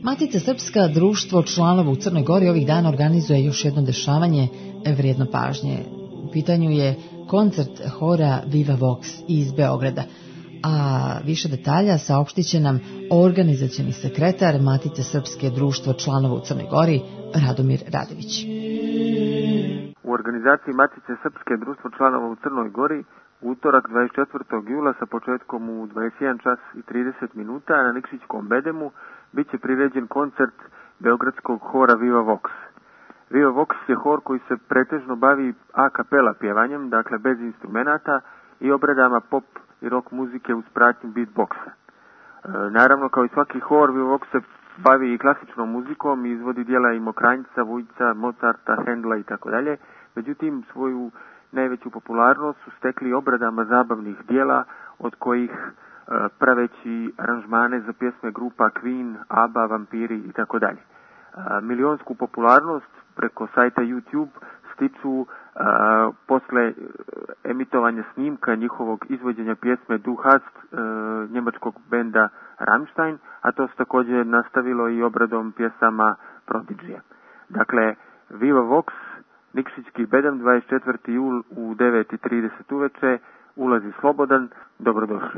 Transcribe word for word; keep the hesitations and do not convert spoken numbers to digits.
Matica Srpska, društvo članova u Crnoj Gori, ovih dana organizuje još jedno dešavanje vrijedno pažnje. U pitanju je koncert hora Viva Vox iz Beograda. A više detalja saopštit će nam organizacioni sekretar Matice Srpske, društvo članova u Crnoj Gori, Radomir Radević. U organizaciji Matice Srpske, društvo članova u Crnoj Gori, utorak dvadeset četvrtog jula sa početkom u dvadeset jedan čas i trideset minuta na Nikšićkom bedemu bit će priređen koncert beogradskog hora Viva Vox. Viva Vox je hor koji se pretežno bavi a kapela pjevanjem, dakle bez instrumenata i obradama pop i rock muzike uz pratnju beatboxa. E, naravno, kao i svaki hor, Viva Vox se bavi i klasičnom muzikom i izvodi dijela i Mokranjca, Vujca, Mozarta, Hendla i tako dalje. Međutim, svoju najveću popularnost su stekli obradama zabavnih dijela, od kojih e, praveći aranžmane za pjesme grupa Queen, ABBA, Vampiri i tako dalje. Milionsku popularnost preko sajta YouTube stiču a, posle emitovanja snimka njihovog izvođenja pjesme Du hast e, njemačkog benda Rammstein, a to se također nastavilo i obradom pjesama Prodigyja. Dakle, Viva Vox, Nikšićki bedem, dvadeset četvrti jul u devet i trideset uveče, ulazi slobodan, dobrodošli.